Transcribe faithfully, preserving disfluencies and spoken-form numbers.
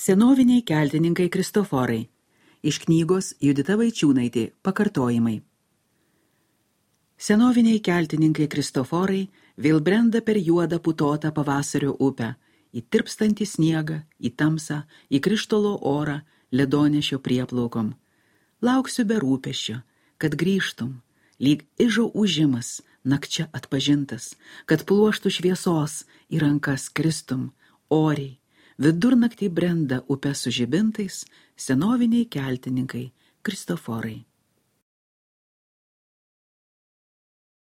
Senoviniai keltininkai Kristoforai. Iš knygos Judita Vaičiūnaitė pakartojimai. Senoviniai keltininkai Kristoforai vėl brenda per juodą putotą pavasario upę, į tirpstantį sniegą, į tamsą, į krištolo orą, ledonešio prieplaukom. Lauksiu be rūpesčio, kad grįžtum, lyg ižo užimas, nakčia atpažintas, kad pluoštų šviesos į rankas kristum, oriai. Vidurnaktį brenda upę su žibintais senoviniai keltininkai Kristoforai.